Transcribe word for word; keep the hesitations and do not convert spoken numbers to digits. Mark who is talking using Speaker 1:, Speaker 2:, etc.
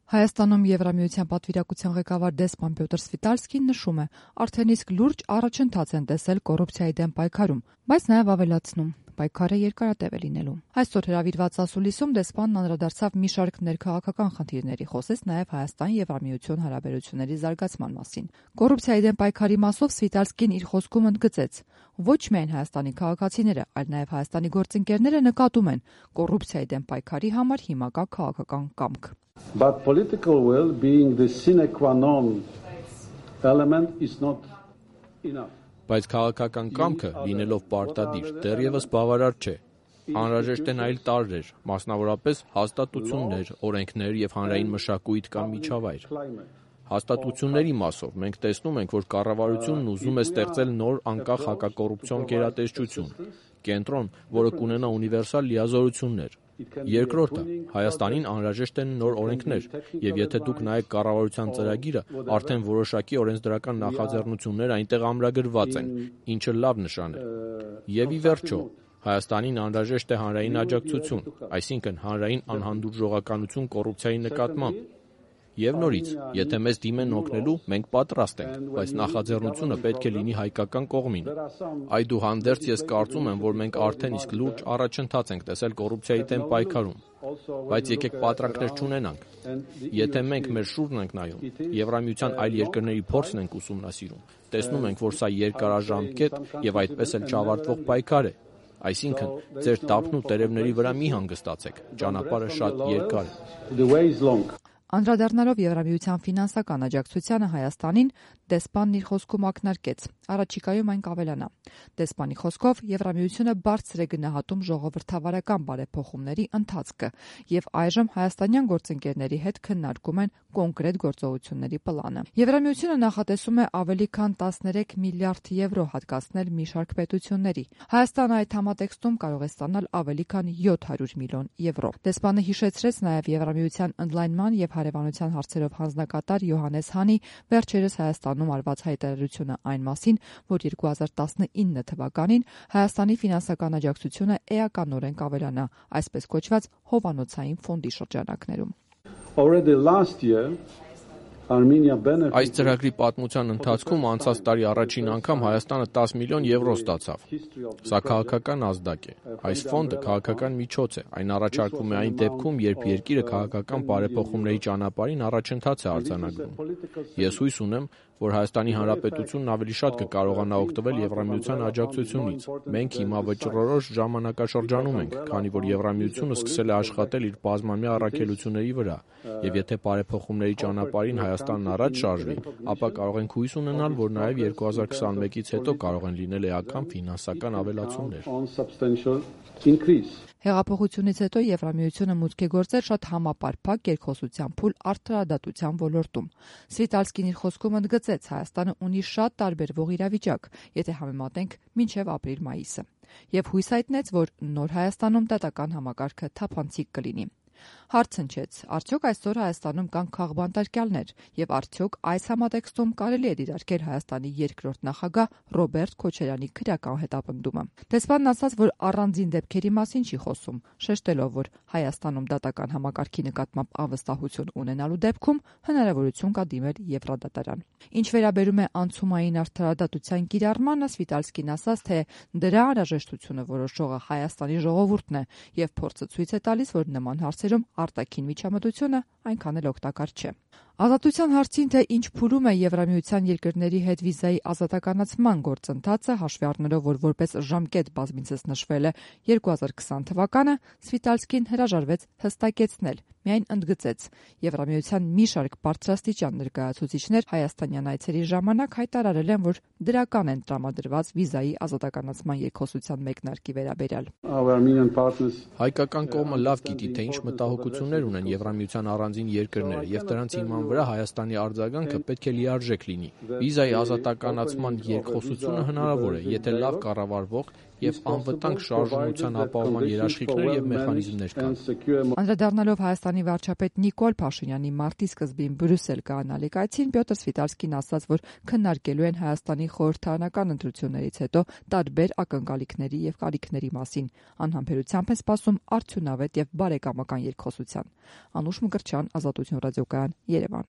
Speaker 1: Հայաստանում Եվրամիության պատվիրակության ղեկավար դեսպան Պյոտր Սվիտալսկին նշում է, արդեն իսկ լուրջ առաջընթաց են տեսել կոռուպցիայի դեմ պայքարում, բայց նաև ավելացնում. պայքարը երկարատև է լինելու։ Այսօր հրավիրված ասուլիսում դեսպանն անդրադարձավ մի շարք ներքաղաքական խնդիրների, խոսեց նաև Հայաստան-Եվրամիություն հարաբերությունների զարգացման մասին։ Կոռուպցիայի դեմ պայքարի մասով Սվիտալսկին իր խոսքում ընդգծեց. ոչ միայն Հայաստանի քաղաքացիները, այլ նաև Հայաստանի գործընկերները նկատում են կոռուպցիայի դեմ պայքարի համար հիմա կա քաղաքական կամք։
Speaker 2: But political will being the sine qua non element is not enough.
Speaker 3: Բայց քաղաքական կամքը լինելով պարտադիր դեռևս բավարար չէ։ Անհրաժեշտ են այլ տարրեր, մասնավորապես հաստատություններ, օրենքներ եւ հանրային մշակույթ կամ միջավայր։ Հաստատությունների մասով մենք տեսնում ենք, որ կառավարությունն ուզում է ստեղծել նոր անկախ հակակոռուպցիոն գերատեսչություն, կենտրոն, որը կունենա ունիվերսալ լիազորություններ։ Երկրորդը, Հայաստանին անհրաժեշտ են նոր օրենքներ, եւ եթե դուք նայեք կառավարության ծրագիրը, արդեն որոշակի օրենսդրական նախաձեռնություններ այնտեղ ամրագրված են, ինչը լավ նշան է։ Եվ ի վերջո, Հայաստանին անհրաժեշտ է հանրային աջակցություն, այսինքն հանրային անհանդուրժողականություն կոռուպցիայի նկատմամբ։ Եվ նորից, եթե մեզ դիմեն օգնելու, մենք պատրաստ ենք, բայց նախաձեռնությունը պետք է լինի հայկական կողմին։ Այդուհանդերձ ես կարծում եմ, որ մենք արդեն իսկ լուրջ առաջընթաց ենք տեսել կոռուպցիայի դեմ պայքարում։ Բայց եկեք պատրանքներ չունենանք։ Եթե մենք մեր շուրջն ենք նայում, Եվրամիության այլ երկրների փորձն ենք ուսումնասիրում, տեսնում ենք, որ սա երկարաժամկետ եւ այդպես էլ չավարտվող պայքար է։ Այսինքն, ձեր տափն ու տերևների վրա մի հանգստացեք, ճանապարհը շատ երկար է։
Speaker 1: Անդրադառնալով Եվրամիության ֆինանսական աջակցությանը Հայաստանին, դեսպանն իր խոսքում ակնարկեց. առաջիկայում այն կավելանա։ Դեսպանի խոսքով Եվրամիությունը բարձր է գնահատում ժողովրդավարական բարեփոխումների ընթացքը եւ այժմ հայաստանյան գործընկերների հետ քննարկում են կոնկրետ գործողությունների պլանը։ Եվրամիությունը նախատեսում է ավելի քան տասներեք միլիարդ եվրո հատկացնել մի շարք պետությունների։ Հայաստանը այդ համատեքստում կարող է ստանալ ավելի քան յոթ հարյուր միլիոն եվրո։ Դեսպանը հիշեցրեց նաև Եվրամիության ընդլայնման եւ հարևանության հարցերով հանձնակատար Յոհաննես Հանի վերջերս Հայաստանում արված հայտարարությունը այն մասին, որ երկու հազար տասնինը թվականին Հայաստանի ֆինանսական աջակցությունը էականորեն կավելանա, այսպես կոչված հովանոցային ֆոնդի շրջանակներում։
Speaker 2: Already last year
Speaker 3: Այս ծրագրի պատմության ընթացքում անցած տարի առաջին անգամ Հայաստանը տասը միլիոն եվրո ստացավ։ Սա քաղաքական ազդակ է։ Այս ֆոնդը քաղաքական միջոց է։ Այն առաջարկվում է այն դեպքում, երբ երկիրը քաղաքական բարեփոխումների ճանապարհին առաջընթաց է արձանագրում։ Ես հույս ունեմ, որ Հայաստանի Հանրապետությունն ավելի շատ կկարողանա օգտվել Եվրամիության աջակցությունից։ Մենք հիմա վճռորոշ ժամանակաշրջանում ենք, քանի որ Եվրամիությունը սկսել է աշխատել իր բազմամյա առաքելությունների վրա, եւ եթե բարեփոխումների ճանապարհին Հայաստանն առաջ շարժվի, ապա կարող ենք հույս ունենալ, որ նաև երկու հազար քսանմեկից հետո կարող են լինել էական ֆինանսական ավելացումներ։
Speaker 1: Հեղափոխությունից հետո Եվրամիությունը մուտք է գործել շատ համապարփակ երկխոսության փուլ արդարադատության ոլորտում։ Սվիտալսկին իր խոսքում ընդգծեց, Հայաստանը ունի շատ տարբերվող իրավիճակ, եթե համեմատենք մինչև ապրիլ-մայիսը, եւ հույս հայտնեց, որ նոր Հայաստանում դատական համակարգը թափանցիկ կլինի։ Հարց հնչեց, արդյոք այսօր Հայաստանում կան քաղբանտարկյալներ եւ արդյոք այս համատեքստում կարելի է դիտարկել Հայաստանի երկրորդ նախագահ Ռոբերտ Քոչարյանի քրեական հետապնդումը։ Դեսպանն ասաց, որ առանձին դեպքերի մասին չի խոսում, շեշտելով, որ Հայաստանում դատական համակարգի նկատմամբ անվստահություն ունենալու դեպքում հնարավորություն կա դիմել Եվրադատարան։ Ինչ վերաբերում է անցումային արդարադատության կիրառմանը, Սվիտալսկին ասաց, թե դրա անհրաժեշտությունը որոշողը Հայաստանի ժողովուրդն է եւ փորձը ցույց է տալիս, որ նման հարցերում արտաքին միջամտությունը այնքան էլ օգտակար չէ։ Ազատության հարցին, թե ինչ փուլում է Եվրամիության երկրների հետ վիզայի ազատականացման գործընթացը, հաշվի առնելով, որ որպես ժամկետ բազմիցս նշվել է երկու հազար քսան թվականը, Սվիտալսկին հրաժարվեց հստակեցնել, միայն ընդգծեց. Եվրամիության մի շարք բարձրաստիճան ներկայացուցիչներ հայաստանյան այցերի ժամանակ հայտարարել են, որ դրական են տրամադրված վիզայի ազատականացման երկխոսության մեկնարկի վերաբերյալ։
Speaker 3: Հայկական կողմը լավ գիտի, թե ինչ մտահոգություններ ունեն Եվրամիության առանձին երկրները, եւ դրանց հիման վրա Հայաստանի արձագանքը պետք է լիարժեք լինի։ Վիզայի ազատականացման երկխոսությունը հնարավոր է, եթե լավ կառավարվող եւ անվտանգ շարժունության ապահովման երաշխիքներ եւ մեխանիզմներ կան։
Speaker 1: Անդրադառնալով Հայաստանի վարչապետ Նիկոլ Փաշինյանի մարտի սկզբին Բրյուսել կայանալիք այցին, Պյոտր Սվիտալսկին ասաց, որ քննարկելու են Հայաստանի խորհրդարանական ընտրություններից հետո տարբեր ակնկալիքների եւ կարիքների մասին։ Անհամբերությամբ են սպասում արդյունավետ եւ բարեկամական երկխոսության։ Անուշ Մկրտչյան, Ազատություն ռադիոկայան, Երևան։